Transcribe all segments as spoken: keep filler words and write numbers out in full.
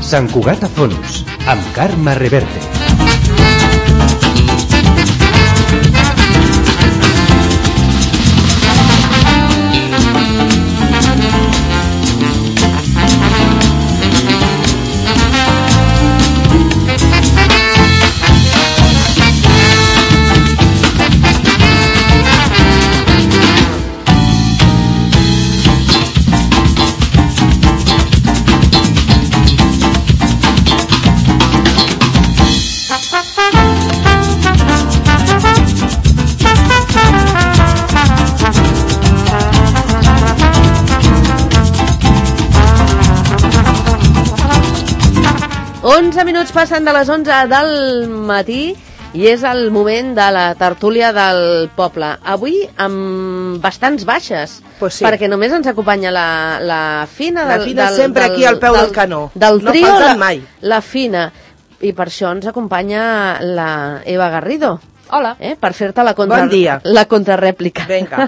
Sant Cugat a Fons, amb Carme Reverte. onze minuts passen de les onze del matí i és el moment de la tertúlia del poble. Avui amb bastants baixes, pues sí. Perquè només ens acompanya la, la Fina. La del, Fina del, sempre del, aquí al peu del, del canó. Del no trio, falten la, mai. La Fina. I per això ens acompanya la Eva Garrido. Hola. Eh? Per fer-te la, contra, bon dia. la contrarèplica. Vinga.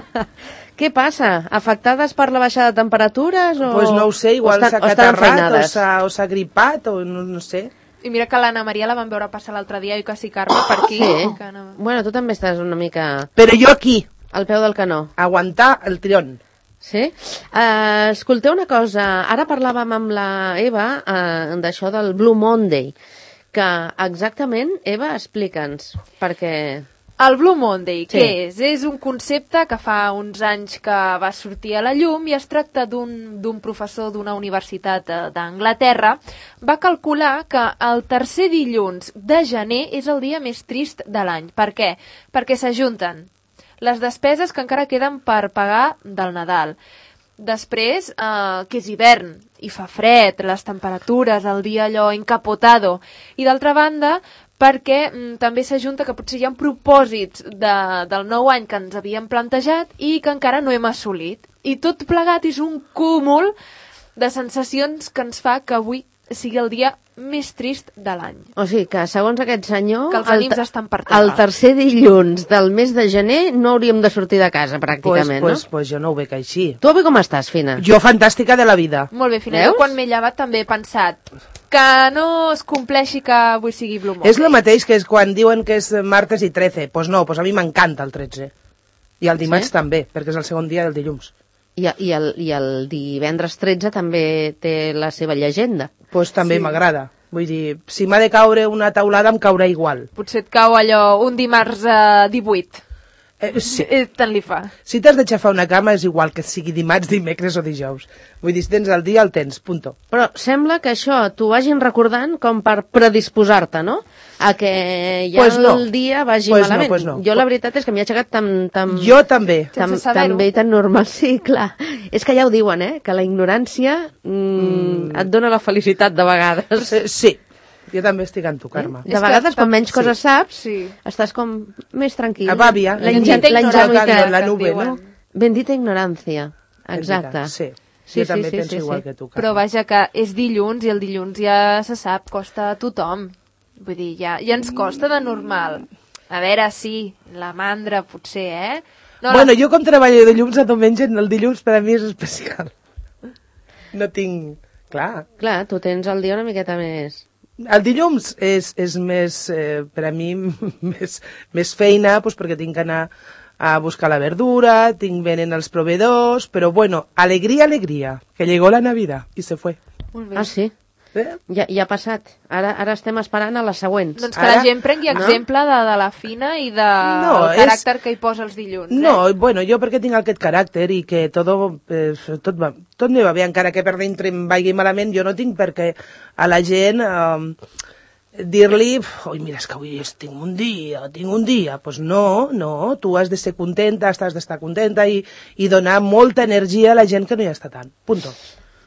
Què passa? Afectades per la baixada de temperatures? O... Pues no ho sé, igual s'ha catarrat o s'ha gripat o no, no sé. I mira que l'Anna Maria la vam veure passar l'altre dia i quasi Carme per aquí. Sí. Que no... Bueno, tu també estàs una mica... Però jo aquí. Al peu del canó. Aguantar el tirón. Sí? Uh, escolteu una cosa, ara parlàvem amb la Eva uh, d'això del Blue Monday, que exactament, Eva, explica'ns, perquè... El Blue Monday, sí. Què és? És un concepte que fa uns anys que va sortir a la llum i es tracta d'un professor d'una universitat d'Anglaterra. Va calcular que el tercer dilluns de gener és el dia més trist de l'any. Per què? Perquè s'ajunten les despeses que encara queden per pagar del Nadal. Després, eh, que és hivern i fa fred, les temperatures, el dia allò encapotado. I d'altra banda, perquè mm, també s'ajunta que potser hi ha propòsits de, del nou any que ens havíem plantejat i que encara no hem assolit. I tot plegat és un cúmul de sensacions que ens fa que avui sigui el dia més trist de l'any. O sigui que, segons aquest senyor, que els ànims el, estan per terra. El tercer dilluns del mes de gener no hauríem de sortir de casa, pràcticament, pues, pues, no? Pues jo no ho veig així. Tu avui com estàs, Fina? Jo fantàstica de la vida. Molt bé, Fina. Veus? Jo quan m'he llevat també he pensat que no es compleixi que avui sigui Blue Monday. És el mateix que és quan diuen que és martes i trece. Doncs pues no, pues a mi m'encanta el tretze. I el dimarts sí? també, perquè és el segon dia del dilluns. I, i, el, I el divendres tretze també té la seva llegenda. Doncs pues també sí. m'agrada. Vull dir, si m'ha de caure una taulada em caurà igual. Potser et cau allò un dimarts eh, divuit. Eh, sí. Eh, tant li fa. Si t'has d'aixafar una cama és igual que sigui dimarts, dimecres o dijous. Vull dir, si tens el dia, el tens, punto. Però sembla que això t'ho vagin recordant com per predisposar-te, no? A que ja pues no. el dia vagi pues malament. No, pues no. Jo la veritat és que m'hi ha aixecat tan... tan jo també. Tan, tan bé i tan normal, sí, clar. És que ja ho diuen, eh? Que la ignorància mm, mm. et dona la felicitat de vegades. Eh, sí. Jo també estic amb tu, Carme. De vegades, quan menys coses sí. saps, sí. estàs com més tranquil. A bàbia. La ingenuïtat. La nube, no? Bendita ignorància. Exacte. Sí. Sí, jo també sí, sí, penso sí, igual sí. que tu, Carme. Però vaja que és dilluns i el dilluns ja se sap, costa a tothom. Vull dir, ja, ja ens costa de normal. A veure, sí, la mandra potser, eh? No, bueno, la... jo com treballo de dilluns a diumenge, el dilluns per a mi és especial. No tinc... Clar. Clar, tu tens el dia una miqueta més... El dilluns és, és més, eh, per a mi, més, més feina, pues, perquè tinc que anar a buscar la verdura, tinc venen els proveedors, però bueno, alegria, alegria, que llegó la Navidad i se fue. Molt bé. Ah, sí? Eh? Ja, ja ha passat. Ara, ara estem esperant a les següents. Doncs que ara, la gent prengui exemple no? de, de la Fina i del de no, caràcter és... que hi posa els dilluns. No, eh? bueno, jo perquè tinc aquest caràcter i que tot, eh, tot, va, tot me va bé, encara que per dintre em vagi malament, jo no tinc perquè a la gent eh, dir-li, oi, mira, és que avui tinc un dia, tinc un dia. Doncs pues no, no, tu has de ser contenta, has d'estar contenta i, i donar molta energia a la gent que no hi està tant. Punto.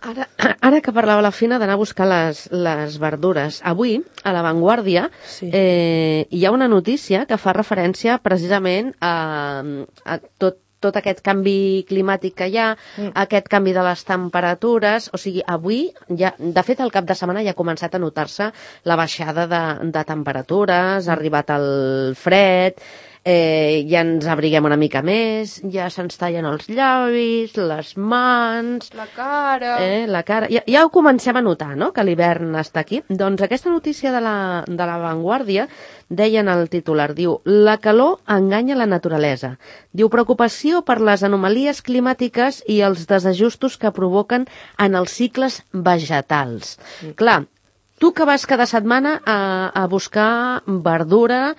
Ara, ara que parlava la Fina d'anar a buscar les, les verdures, avui, a La Vanguardia, sí. eh, hi ha una notícia que fa referència precisament a, a tot, tot aquest canvi climàtic que hi ha, mm. aquest canvi de les temperatures, o sigui, avui, ja, de fet, el cap de setmana ja ha començat a notar-se la baixada de, de temperatures, ha arribat el fred... eh, ja ens abriguem una mica més, ja se'ns tallen els llavis, les mans... La cara... Eh, la cara... Ja, ja ho comencem a notar, no?, que l'hivern està aquí. Doncs aquesta notícia de la, de la Vanguardia deia en el titular, diu, la calor enganya la naturalesa. Diu, preocupació per les anomalies climàtiques i els desajustos que provoquen en els cicles vegetals. Mm. Clar, tu que vas cada setmana a, a buscar verdura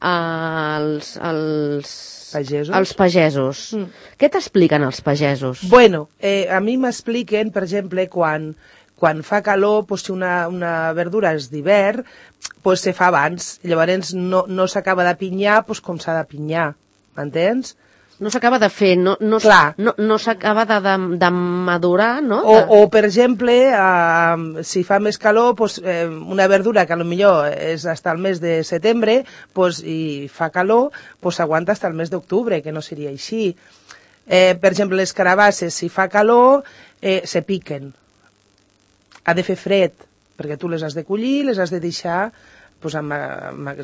als, als, pagesos, als pagesos. Mm. Què t'expliquen els pagesos? Bueno, eh, a mi m'expliquen, per exemple, quan, quan fa calor, pues, si una, una verdura és d'hivern, pues, se fa abans. Llavors no, no s'acaba de pinyar pues, com s'ha de pinyar, m'entens? No s'acaba de fer, no, no, no, no s'acaba de, de, de madurar, no? O, o per exemple, eh, si fa més calor, pues, eh, una verdura que potser és fins al mes de setembre, pues, i fa calor, pues, s'aguanta fins al mes d'octubre, que no seria així. Eh, per exemple, les carabasses, si fa calor, eh, se piquen. Ha de fer fred, perquè tu les has de collir, les has de deixar pues, amb, amb,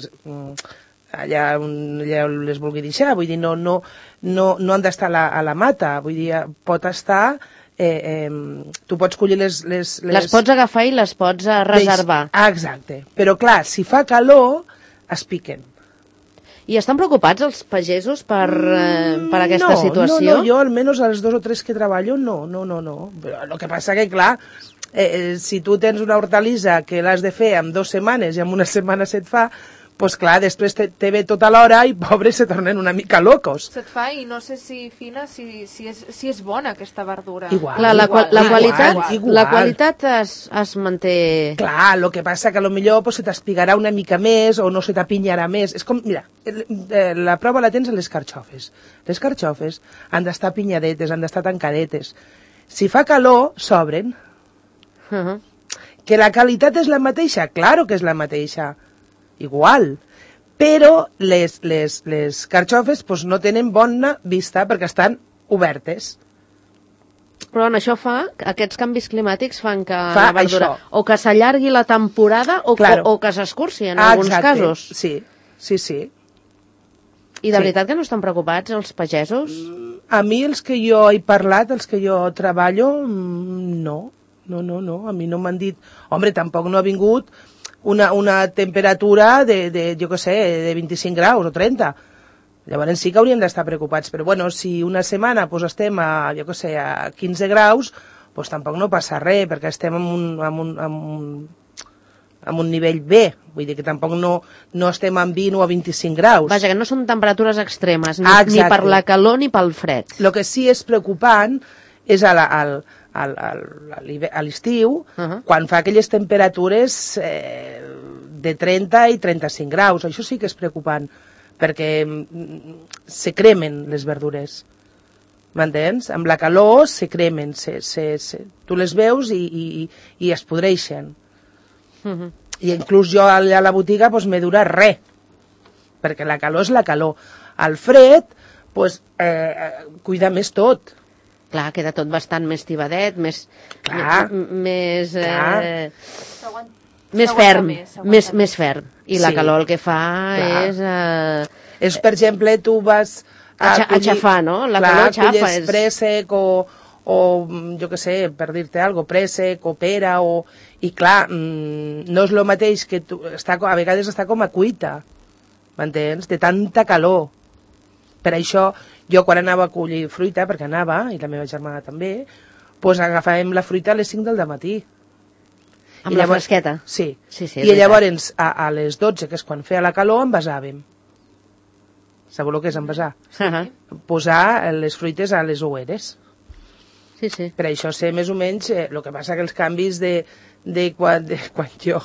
allà on allà les vulgui deixar, vull dir, no, no, no, no han d'estar a, la, a la mata, vull dir, pot estar, eh, eh, tu pots collir les, les, les... Les pots agafar i les pots uh, reservar. Ah, exacte, però clar, si fa calor, es piquen. I estan preocupats els pagesos per, eh, per aquesta no, situació? No, no, jo almenys als dos o tres que treballo, no, no, no, no. Però el que passa que, clar, eh, si tu tens una hortalissa que l'has de fer en dues setmanes i en una setmana se't fa, pues clar, després te, te ve tota l'hora i pobres se tornen una mica locos. Se't fa i no sé si, Fina, si, si, és, si és bona aquesta verdura. Igual, clar, la, igual, la, qualitat, igual, igual. la qualitat es, es manté... Clar, el que passa que a lo millor pues, se t'espigarà una mica més o no se t'apinyarà més. És com, mira, la prova la tens a les carxofes. Les carxofes han d'estar pinyadetes, han d'estar tancadetes. Si fa calor, s'obren. Uh -huh. Que la qualitat és la mateixa? Claro que és la mateixa. Igual, però les, les, les carxofes pues, no tenen bona vista perquè estan obertes. Però en això fa, aquests canvis climàtics fan que fa la verdura això. O que s'allargui la temporada o, claro. o, o que s'escurci en ah, alguns exacte. casos. Sí, sí, sí. I de sí. veritat que no estan preocupats els pagesos? A mi els que jo he parlat, els que jo treballo, no, no, no, no. A mi no m'han dit... Hombre, tampoc no ha vingut una, una temperatura de, de, jo què sé, de vint-i-cinc graus o trenta. Llavors sí que hauríem d'estar preocupats, però bueno, si una setmana pues, estem a, jo què sé, a quinze graus, pues, tampoc no passa res, perquè estem en un, en un, en un, en un nivell B, vull dir que tampoc no, no estem en vint o a vint-i-cinc graus. Vaja, que no són temperatures extremes, ni, ah, ni per la calor ni pel fred. El que sí és preocupant és a la, al, al, al, a l'estiu, uh -huh. quan fa aquelles temperatures eh, de trenta i trenta-cinc graus. Això sí que és preocupant, perquè se cremen les verdures. M'entens? Amb la calor se cremen, se, se, se, tu les veus i, i, i es podreixen. Uh -huh. I inclús jo allà a la botiga pues, m'he durat res, perquè la calor és la calor. Al fred, pues, eh, cuida més tot. Clar, queda tot bastant més tibadet, més... Clar. Més... Clar. Eh, més ferm, més, més, més ferm. I la sí. calor el que fa clar. és... Eh, és, per exemple, tu vas... A, a aixafar, no? La clar, calor aixafa. És préssec o, o, jo què sé, per dir-te alguna cosa, préssec o pera o... I clar, mmm, no és el mateix que tu... Està, a vegades està com a cuita, m'entens? De tanta calor. Per això, jo quan anava a collir fruita, perquè anava, i la meva germana també, doncs agafàvem la fruita a les cinc del matí. Amb I la llavors, fresqueta? Sí. sí, sí I llavors, a, a les dotze, que és quan feia la calor, envasàvem. Sabeu el que és envasar? Uh -huh. Posar les fruites a les oueres. Sí, sí. Per això sé més o menys eh, el que passa que els canvis de, de, quan, de quan jo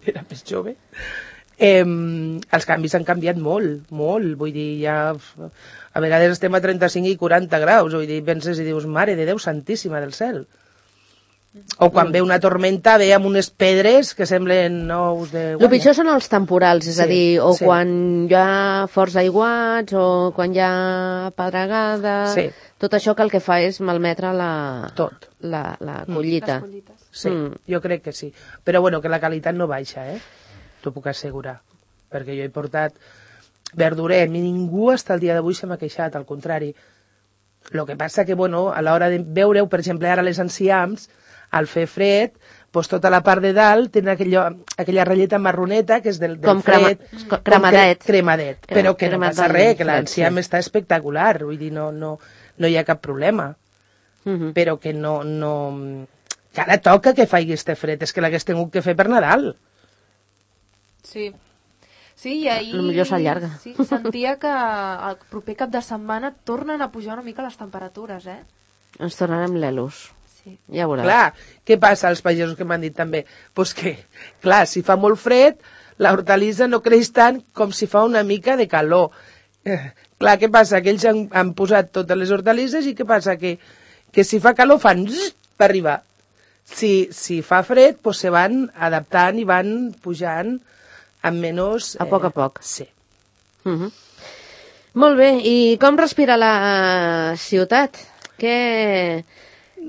era més jove, eh, els canvis han canviat molt, molt. Vull dir, ja a vegades estem a trenta-cinc i quaranta graus, vull dir, penses i dius, mare de Déu santíssima del cel. O quan ve una tormenta, ve amb unes pedres que semblen nous de guanya. El pitjor són els temporals, és sí, a dir, o sí. quan hi ha forts aiguats, o quan hi ha pedregada... Sí. Tot això que el que fa és malmetre la, Tot. la, la collita. Les collites. Sí, mm. jo crec que sí. Però bueno, que la qualitat no baixa, eh? T'ho puc assegurar. Perquè jo he portat verdurer, ningú hasta el dia d'avui se m'ha queixat, al contrari. El que passa que, bueno, a l'hora de veure-ho, per exemple, ara les enciams, al fer fred, doncs tota la part de dalt tenen aquella, aquella ratlleta marroneta que és del, del com fred. Crema, cremadet. Cre, cremadet. Però que no passa res, que fred, l'enciam sí. està espectacular, vull dir, no, no, no hi ha cap problema. Uh -huh. Però que no, no... que ara toca que faci este fred, és que l'hagués tingut que fer per Nadal. Sí. Sí, i ahir... Potser s'allarga. Sí, sentia que el proper cap de setmana tornen a pujar una mica les temperatures, eh? Ens tornarem l'elos. Sí. Ja veuràs. Clar, què passa als pagesos que m'han dit també? Doncs que, clar, si fa molt fred, l'hortalissa no creix tant com si fa una mica de calor. Eh, clar, què passa? Que ells han, han posat totes les hortalisses i què passa? Que, que si fa calor fan zzz, per arribar. Si, si fa fred, doncs se van adaptant i van pujant amb menys... A poc a poc. Eh, sí. Uh -huh. Molt bé, i com respira la ciutat? Què,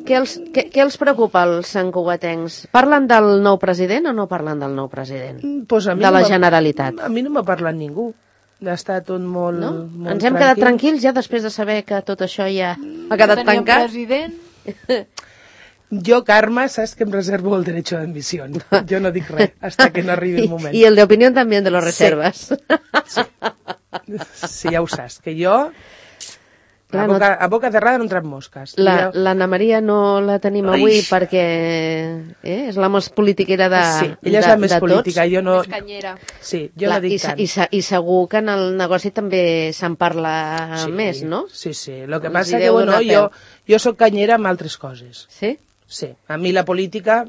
què, els, què, què els preocupa als santcugatencs? Parlen del nou president o no parlen del nou president? Pues a mi de la no Generalitat. A mi no m'ha parlat ningú. Està tot molt, No? molt Ens hem tranquil. quedat tranquils ja després de saber que tot això ja ha quedat Teníem tancat? president... Jo, Carme, saps que em reservo el derecho de admisión. Jo no dic res, hasta que no arribi el moment. I, i el de opinió també de los reserves. Sí. Sí, ja ho saps, que jo Clar, a, boca, a boca cerrada no entran mosques. La- Jo- L'Anna Maria no la tenim avui Ai. perquè eh, és la més politiquera de, Sí, ella és de, la més de política, tots. jo no... Més canyera. Sí, jo Clar, no i, dic se- tant. i, se- I segur que en el negoci també se'n parla Sí, més, no? Sí, sí. El que Els passa hi que, deu bueno, donar jo, peu. jo sóc canyera amb altres coses. Sí? Sí, a mi la política...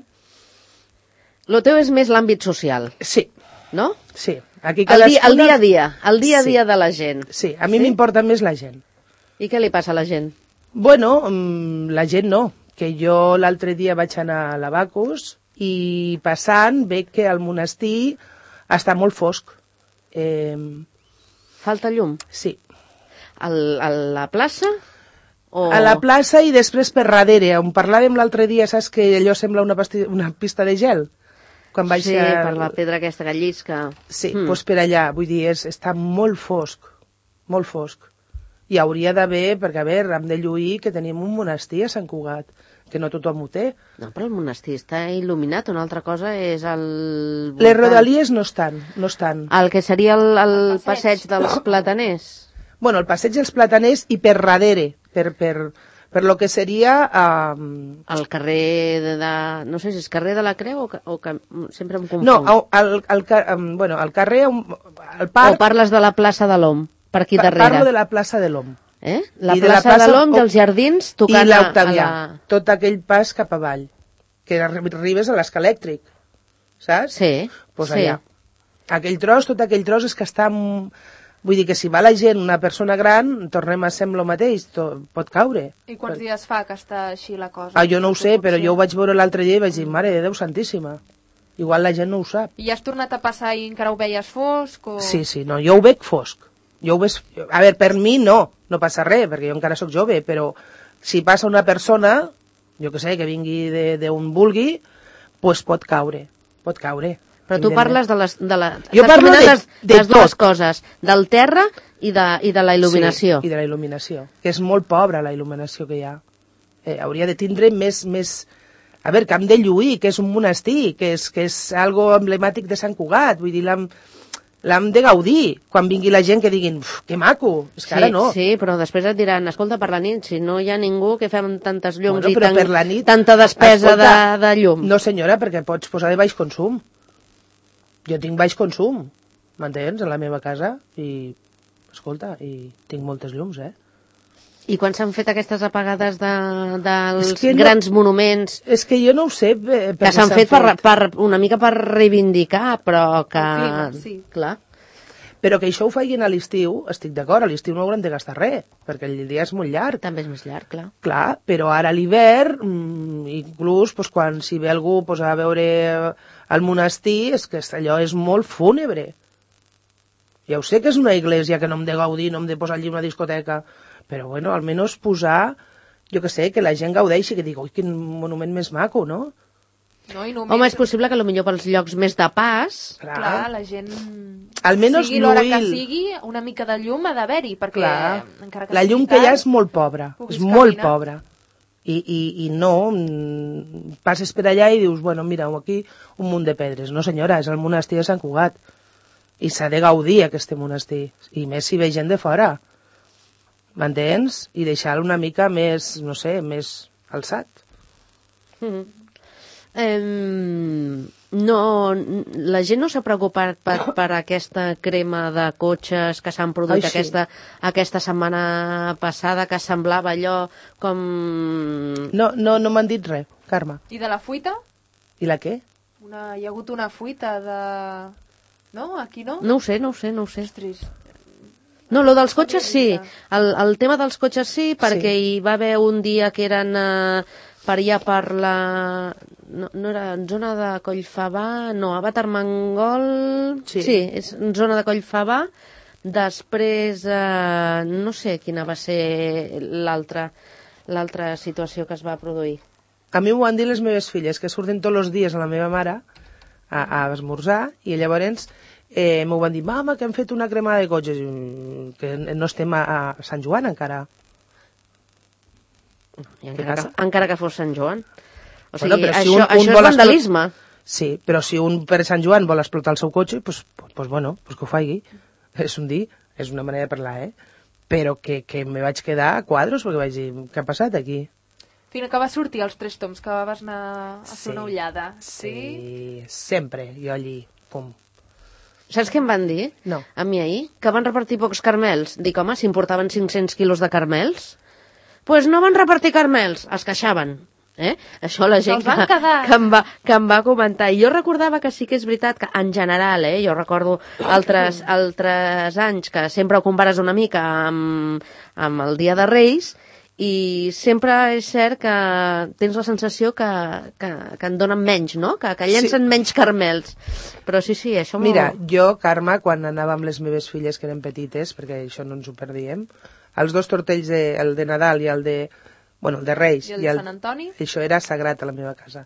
Lo teu és més l'àmbit social, Sí, no? sí. Aquí El dia, el cadascuna- dia a dia, el dia a Sí. dia de la gent. Sí, a mi Sí? m'importa més la gent. I què li passa a la gent? Bueno, mm, la gent no, que jo l'altre dia vaig anar a l'Abacus i passant veig que el monestir està molt fosc. Eh, Falta llum? sí, Al, a la plaça? O... a la plaça i després per darrere, on parlàvem l'altre dia, saps que allò sembla una, pasti... una pista de gel? Quan vaig Sí, a... per la pedra aquesta que llisca. Sí, Mm. doncs per allà, vull dir, és, està molt fosc, molt fosc. I hauria d'haver, perquè a veure, hem de lluir que tenim un monestir a Sant Cugat, que no tothom ho té. No, però el monestir està il·luminat, una altra cosa és el... Les voltant. rodalies no estan, no estan. El que seria el, el, El passeig. passeig. dels plataners. Bueno, el passeig dels plataners i per darrere, per, per, per lo que seria... Um... El carrer de, de... No sé si és carrer de la Creu o, ca- o ca... sempre em confonc. No, el, el, el, um, bueno, el carrer, um, el O parc... parles de la plaça de l'Om, per aquí pa- darrere. Parlo de la plaça de l'Om. Eh? La I de la plaça de, plaça l'Om i o- els jardins I tocant a, a l'Octavià, la... tot aquell pas cap avall, que arri- arribes a l'escalèctric, saps? Sí, Pues sí. allà. Aquell tros, tot aquell tros és que està... m- Vull dir que si va la gent, una persona gran, tornem a ser amb el mateix, to, pot caure. I quants dies fa que està així la cosa? Ah, jo no ho sé, però Potser. jo ho vaig veure l'altre dia i vaig dir, mare de Déu santíssima. Igual la gent no ho sap. I has tornat a passar i encara ho veies fosc? O... Sí, sí, no, jo ho veig fosc. Jo ho veig... A veure, per mi no, no passa res, perquè jo encara sóc jove, però si passa una persona, jo que sé, que vingui de- d'on vulgui, pues pot caure, pot caure. Però tu evidentment. parles de les... De la... Jo estàs parlo combinant de- les, de les dues tot. coses, del terra i de, i de la il·luminació. Sí, i de la il·luminació, que és molt pobra la il·luminació que hi ha. Eh, hauria de tindre més... més... A veure, que hem de lluir, que és un monestir, que és, que és algo emblemàtic de Sant Cugat, vull dir, l'hem l'hem de gaudir. Quan vingui la gent que diguin, "Uf, que maco", és que Sí, ara no. sí, però després et diran, escolta, per la nit, si no hi ha ningú que fem tantes llums Bueno, i però tan, per la nit, tanta despesa escolta, de, de llum. No, senyora, perquè pots posar de baix consum. Jo tinc baix consum, m'entens, a la meva casa, i, escolta, i tinc moltes llums, eh? I quan s'han fet aquestes apagades de, dels És que no- grans monuments És que jo no ho sé eh, per que què s'han fet, per, per, una mica per reivindicar, però que... El clima, sí. Clar. Però que això ho facin a l'estiu, estic d'acord, a l'estiu no hauran de gastar res, perquè el dia és molt llarg. També és més llarg, clar. Clar, però ara a l'hivern, mm, inclús pues, quan si ve algú pues, a veure el monestir, és que allò és molt fúnebre. Ja ho sé que és una església que no hem de gaudir, no hem de posar allí una discoteca, però bueno, almenys posar, jo que sé, que la gent gaudeixi, que digui, ui, quin monument més maco, no? No? I només... Home, és possible que potser pels llocs més de pas... Clar, Clar la gent... Almenys sigui l'hora que lluir. sigui, una mica de llum ha d'haver-hi, perquè... Clar. Encara que La llum que hi ha és molt pobra, és molt caminar. pobra. I, i, i no, mm, passes per allà i dius, bueno, mira, aquí un munt de pedres. No, senyora, és el monestir de Sant Cugat. I s'ha de gaudir, aquest monestir. I més si ve gent de fora. M'entens? I deixar-lo una mica més, no sé, més alçat. Mm. Eh, no, la gent no s'ha preocupat per, per aquesta crema de cotxes que s'han produït Ai, sí. aquesta, aquesta setmana passada, que semblava allò com... No, no, no m'han dit res, Carme. I de la fuita? I la què? Una... Hi ha hagut una fuita de... No? Aquí no? No ho sé, no ho sé, no ho sé. Ostres. No, lo dels cotxes sí. El, el tema dels cotxes sí, perquè Sí. hi va haver un dia que eren eh, per allà per la... No, no era en zona de Collfabà, no, a Batarmangol... Sí. sí, és en zona de Collfabà. Després, eh, no sé quina va ser l'altra l'altra situació que es va produir. A mi m'ho van dir les meves filles, que surten tots els dies a la meva mare a, a esmorzar, i llavors eh, m'ho van dir, mama, que hem fet una cremada de cotxes, I, que no estem a, a Sant Joan encara. I encara, que, encara que fos Sant Joan. O Bueno, sigui, però si això, un- un això és vol vandalisme. Sí, però si un per Sant Joan vol explotar el seu cotxe, pues, pues, pues bueno, pues que ho faci. És un dir, és una manera de parlar, eh? Però que, que me vaig quedar a quadros, perquè vaig dir, què ha passat aquí? Fina, que va sortir els tres toms, que vas anar a fer Sí. una ullada. Sí? Sí, sempre, jo allí, pum. Saps què em van dir? No. A mi ahir? Que van repartir pocs carmels. Dic, home, si em portaven cinc-cents quilos de carmels... Doncs pues no van repartir carmels, es queixaven. Eh? Això la gent Se'ls van que, quedar. que, em va, que em va comentar. I jo recordava que sí que és veritat que en general, eh, jo recordo altres, altres anys que sempre ho compares una mica amb, amb el Dia de Reis, i sempre és cert que tens la sensació que, que, que en donen menys, no? Que, que llencen sí. menys carmels. Però sí, sí, això... Mira, jo, Carme, quan anava amb les meves filles que eren petites, perquè això no ens ho perdíem, els dos tortells, de, el de Nadal i el de, bueno, el de Reis, I el de Sant Antoni? Això era sagrat a la meva casa.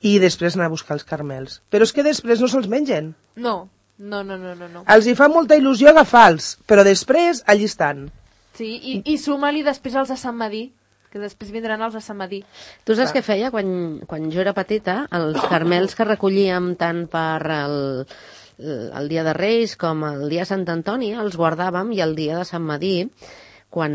I després anar a buscar els carmels. Però és que després no se'ls mengen. No, no, no, no, no. no. Els hi fa molta il·lusió agafar-los, però després allí estan. Sí, i, i suma-li després els de Sant Madí, que després vindran els de Sant Madí. Tu saps què feia quan, quan jo era petita? Els carmels que recollíem tant per el, el dia de Reis com el dia de Sant Antoni els guardàvem, i el dia de Sant Madí, quan,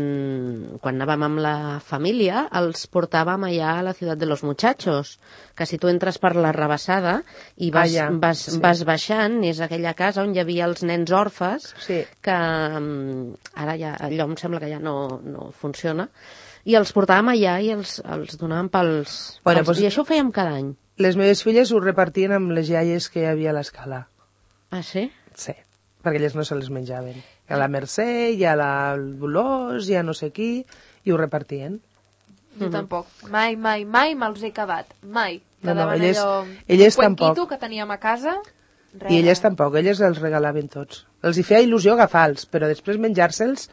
quan anàvem amb la família, els portàvem allà a la Ciutat de los Muchachos, que si tu entres per la Rabassada i vas, Allà, vas, sí. vas baixant, és aquella casa on hi havia els nens orfes, Sí. que um, ara ja, allò em sembla que ja no, no funciona, i els portàvem allà i els, els donàvem pels... Bueno, pels pues- I això ho fèiem cada any. Les meves filles ho repartien amb les iaies que hi havia a l'escala. Ah, sí? Sí, perquè elles no se les menjaven. Hi ha la Mercè, hi ha la Dolors, hi ha no sé qui, i ho repartien. Jo tampoc. Mai, mai, mai me'ls he acabat. Mai. No, no, Quedaven elles- allò... elles un cuenquito tampoc. que teníem a casa... Res. I elles tampoc, elles els regalaven tots. Els hi feia il·lusió agafar-los, però després menjar-se'ls...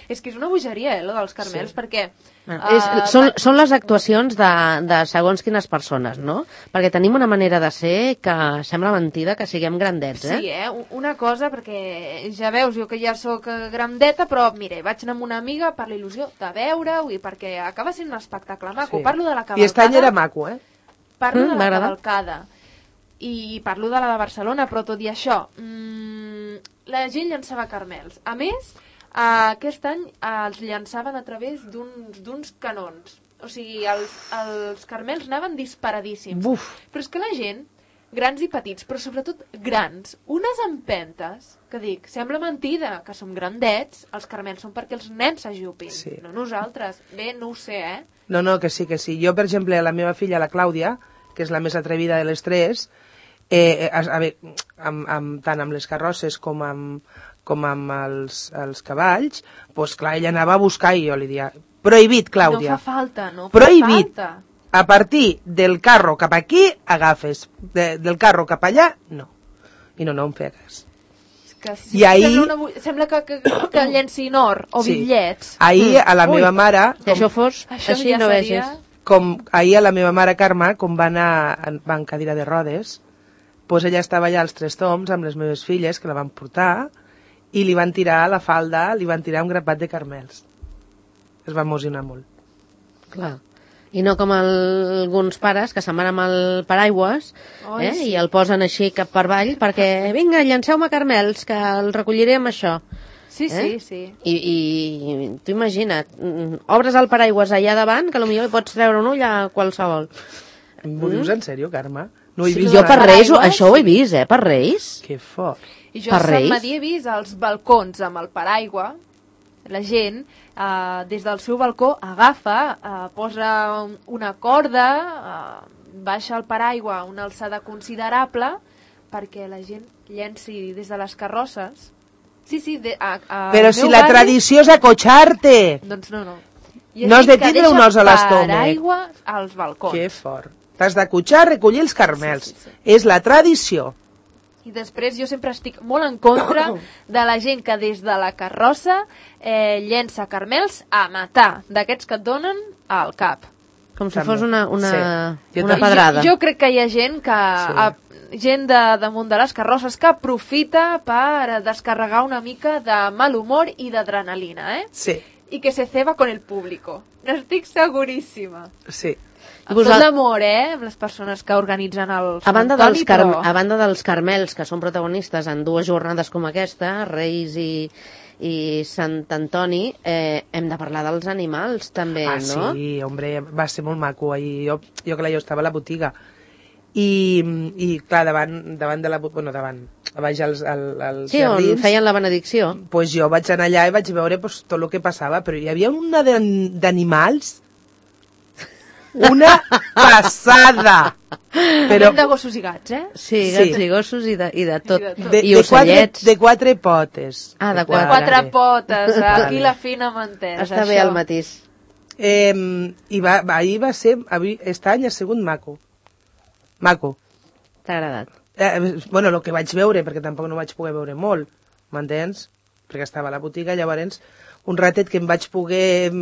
És que és una bogeria, eh, lo dels carmels, Sí. perquè... Bueno, eh, és, són, són les actuacions de, de segons quines persones, no? Perquè tenim una manera de ser que sembla mentida que siguem grandets, eh? Sí, eh? Una cosa, perquè ja veus, jo que ja sóc eh, grandeta, però mira, vaig anar amb una amiga per la il·lusió de veure-ho i perquè acaba sent un espectacle maco. Sí. Parlo de la I cavalcada. aquest any era maco, eh? Parlo Mm, de la m'agrada. cavalcada. I parlo de la de Barcelona, però tot i això, mmm, la gent llançava carmels. A més, eh, aquest any eh, els llançaven a través d'uns d'uns canons. O sigui, els, els carmels anaven disparadíssims. Buf! Però és que la gent, grans i petits, però sobretot grans, unes empentes, que dic, sembla mentida, que som grandets, els carmels són perquè els nens s'ajupin, Sí. no nosaltres. Bé, no ho sé, eh? No, no, que sí, que sí. Jo, per exemple, la meva filla, la Clàudia, que és la més atrevida de les tres, eh, a, a veure, amb, amb, tant amb les carrosses com amb, com amb els, els cavalls, doncs clar, ella anava a buscar i jo li dia, prohibit, Clàudia. No fa falta, no fa Prohibit. falta. A partir del carro cap aquí, agafes. De, del carro cap allà, no. I no, no em feia cas. És que sí, I ahir- sembla, una, bu- sembla que, que, que llencin or o Sí. bitllets. Ahir, a la Ui. meva mare... Si això fos Això així, ja no seria... vegis. com ahir a la meva mare Carme, com va anar va en cadira de rodes, doncs ella estava allà als Tres Toms amb les meves filles, que la van portar, i li van tirar a la falda, li van tirar un grapat de carmels. Es va emocionar molt. Clar. I no com el, alguns pares que se'n van amb el paraigües oh, eh, sí. i el posen així cap per avall perquè, vinga, llanceu-me carmels, que el recolliré amb això. Sí, eh? sí, sí. I, i tu imagina't, obres el paraigües allà davant, que potser hi pots treure un ull a qualsevol. M'ho dius en sèrio, Carme? No he sí, vist jo res. per Reis, això ho he vist, eh, per Reis. Que fort. I jo a Sant Madí he vist els balcons amb el paraigua, la gent, eh, des del seu balcó agafa, eh, posa una corda, eh, baixa el paraigua a una alçada considerable perquè la gent llenci des de les carrosses. Sí, sí, de, a, a Però si la barri... tradició és acotxar-te. Doncs no, no. No has de tindre un os a l'estómac. Paraigua als balcons. Que fort. T'has d'acotxar, recollir els carmels. Sí, sí, sí. És la tradició. I després jo sempre estic molt en contra de la gent que des de la carrossa eh, llença carmels a matar, d'aquests que et donen al cap. Com si fos una, una, sí. una pedrada. Jo, jo crec que hi ha gent que sí. a, gent de, damunt de les carrosses que aprofita per descarregar una mica de mal humor i d'adrenalina, eh? Sí. I que se ceba con el público. N'estic seguríssima. Sí. Amb tot l'amor, eh? Amb les persones que organitzen el a banda, Antoni, dels car però... a banda dels carmels, que són protagonistes en dues jornades com aquesta, Reis i, i Sant Antoni, eh, hem de parlar dels animals, també, ah, no? Ah, sí, hombre, va ser molt maco. Ahir, jo, jo, clar, jo estava a la botiga. I, i clar, davant, davant de la... Bueno, davant, a baix als, als sí, jardins... on feien la benedicció. Pues jo vaig anar allà i vaig veure pues, tot el que passava, però hi havia una d'animals... Una passada! Però... de gossos i gats, eh? Sí, gats sí. i gossos i de, i de tot. I, de tot. De, I de ocellets. Quatre, de quatre potes. Ah, de, de quatre. quatre potes. Aquí la fina mantesa. Està això. bé el matís. Eh, I va, ahir va ser... Aquest any ha sigut maco. Maco. T'ha agradat? Eh, bueno, el que vaig veure, perquè tampoc no vaig poder veure molt, m'entens? Perquè estava a la botiga, llavors un ratet que em vaig poder,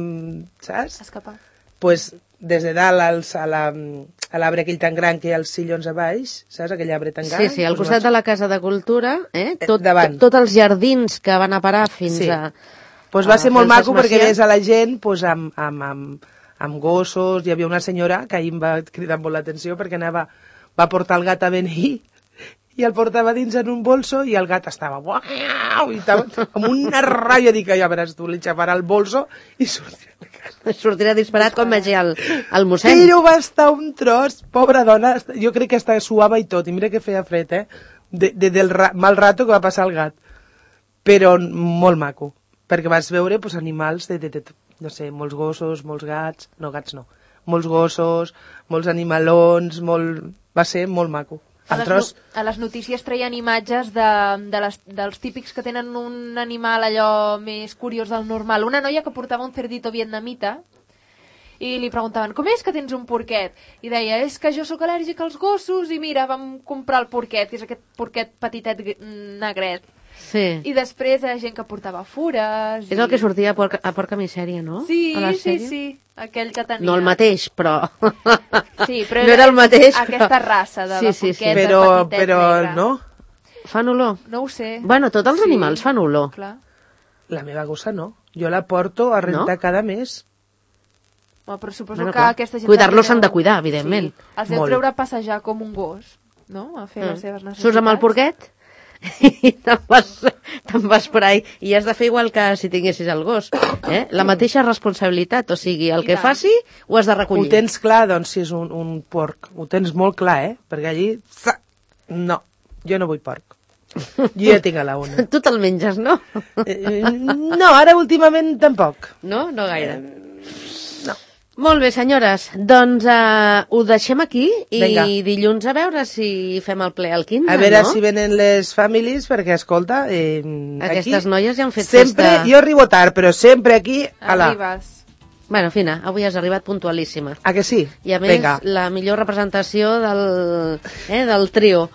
saps? Escapar. Pues, des de dalt als, a l'arbre aquell tan gran que hi ha els sillons a baix, saps? Aquell arbre tan gran. Sí, sí, al pues costat vaig... de la Casa de Cultura, eh? Tot, davant. Tots els jardins que van a parar fins sí. a... Pues va ser molt maco perquè ves a la gent pues, amb, amb, amb, amb gossos. Hi havia una senyora que ahir em va cridar molt l'atenció perquè anava, va portar el gat a venir i el portava dins en un bolso i el gat estava uau, i estava amb una ràbia, dic, ja veràs tu, li xafarà el bolso i sortirà de casa. Sortirà disparat com vegi el, el mossèn. Però va estar un tros, pobra dona, jo crec que hasta suava i tot, i mira que feia fred, eh, de, de, del ra mal rato que va passar el gat. Però molt maco, perquè vas veure pues, animals de, de, de, no sé, molts gossos, molts gats, no gats no, molts gossos, molts animalons, molt... va ser molt maco. A les, no, a les notícies treien imatges de, de les, dels típics que tenen un animal allò més curiós del normal. Una noia que portava un cerdito vietnamita i li preguntaven, com és que tens un porquet? I deia, és que jo sóc al·lèrgic als gossos i mira, vam comprar el porquet, que és aquest porquet petitet negret. Sí. I després hi ha gent que portava fures... És el que sortia a Porca, a Porca Misèria, no? Sí, a la sí, sí, aquell que tenia... No el mateix, però... Sí, però no era el mateix, aquesta però... raça de sí, la sí, porqueta sí. però, petitet però, negra. No? Fan olor? No ho sé. Bueno, tots els sí, animals fan olor. Clar. La meva gossa no. Jo la porto a rentar no? cada mes. Bueno, però suposo bueno, que clar. aquesta gent... Cuidar-los s'han de cuidar, evidentment. Sí. Els deu treure a passejar com un gos, no? A fer mm. les seves necessitats. Surts amb el porquet i te'n vas, te'n vas per ahí. I has de fer igual que si tinguessis el gos. Eh? La mateixa responsabilitat. O sigui, el I que tant. faci ho has de recollir. Ho tens clar, doncs, si és un, un porc. Ho tens molt clar, eh? Perquè allí... No, jo no vull porc. Jo ja tinc a la una. Tu te'l menges, no? No, ara últimament tampoc. No? No gaire. No. Molt bé, senyores. Doncs uh, ho deixem aquí i Venga. dilluns a veure si fem el ple al quinze, no? A veure no? si venen les famílies, perquè, escolta... Eh, Aquestes aquí, noies ja han fet sempre, festa... Jo arribo tard, però sempre aquí... Ala. Arribes. Bueno, Fina, avui has arribat puntualíssima. Ah, que sí? I a més, Venga. la millor representació del, eh, del trio.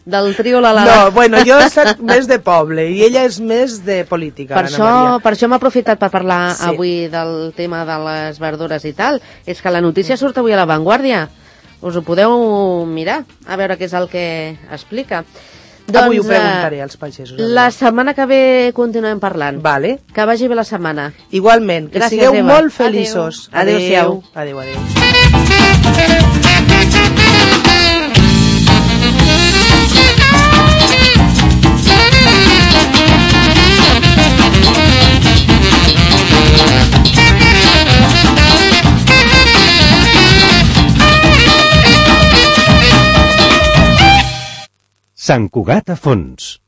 del trio la la. No, bueno, jo soc més de poble i ella és més de política, Per l'Anna això, Maria. per això hem aprofitat per parlar Sí. avui del tema de les verdures i tal. És que la notícia surt avui a La Vanguardia. Us ho podeu mirar, a veure què és el que explica. Avui ho Doncs, preguntaré eh, als pagesos. La setmana que ve continuem parlant. Vale. Que vagi bé la setmana. Igualment, que Gràcies, sigueu Eva. molt feliços. Adéu. Adéu-siau. Adéu, adéu. Sant Cugat a fons.